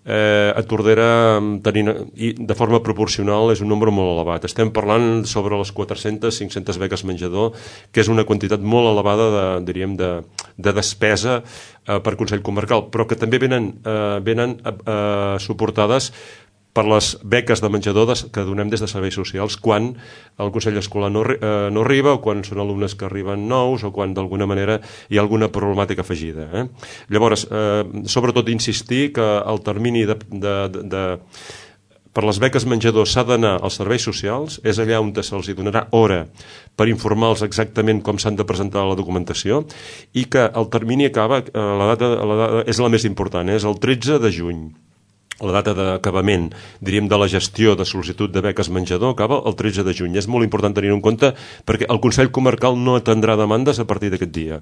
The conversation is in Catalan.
a Tordera, i de forma proporcional, és un nombre molt elevat. Estem parlant sobre les 400-500 beques menjador, que és una quantitat molt elevada de despesa per Consell Comarcal, però que també venen suportades per les beques de menjador que donem des de serveis socials quan el Consell Escolar no arriba, o quan són alumnes que arriben nous, o quan d'alguna manera hi ha alguna problemàtica afegida. Llavors, sobretot insistir que el termini per les beques menjador s'ha d'anar als serveis socials, és allà on se'ls donarà hora per informar-los exactament com s'han de presentar la documentació, i que el termini acaba, la data és la més important, és el 13 de juny. La data d'acabament, diríem, de la gestió de sol·licitud de beques menjador acaba el 13 de juny. És molt important tenir-ho en compte perquè el Consell Comarcal no atendrà demandes a partir d'aquest dia.